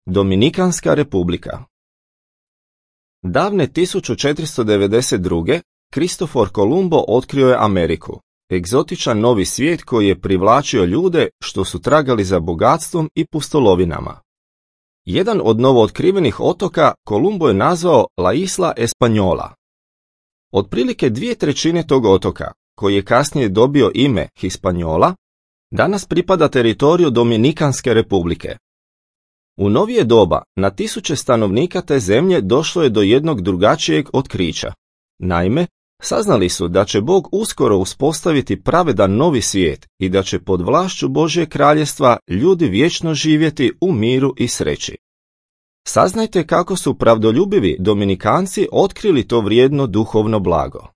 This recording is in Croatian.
Dominikanska republika. Davne 1492. Kristofor Kolumbo otkrio je Ameriku, egzotičan novi svijet koji je privlačio ljude što su tragali za bogatstvom i pustolovinama. Jedan od novootkrivenih otoka Kolumbo je nazvao La Isla Española. Otprilike 2/3 tog otoka, koji je kasnije dobio ime Hispaniola, danas pripada teritoriju Dominikanske republike. U novije doba na tisuće stanovnika te zemlje došlo je do jednog drugačijeg otkrića. Naime, saznali su da će Bog uskoro uspostaviti pravedan novi svijet i da će pod vlašću Božjeg kraljestva ljudi vječno živjeti u miru i sreći. Saznajte kako su pravdoljubivi Dominikanci otkrili to vrijedno duhovno blago.